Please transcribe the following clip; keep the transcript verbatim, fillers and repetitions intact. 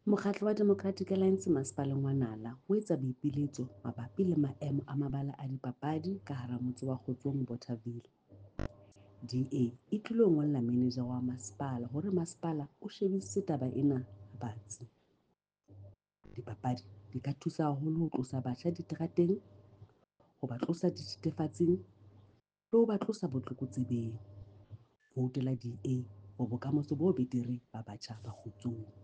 Mokgatlo wa Democratic Alliance masepaleng wa Nala o etsa boipiletso mabapi le maemo a mabala a dipapadi ka hara motse wa Kgotsong Bothaville. D A e tlilo ngolla manager wa masepala hore masepala o shebisise taba ena batsi. Dipapadi di ka thusa haholo ho tlosa batjha diterateng, ho ba tlosa dithethefatsing le ho ba tlosa botlokotsebeng. Voutela D A for bokamoso bo betere ba batjha ba Kgotsong.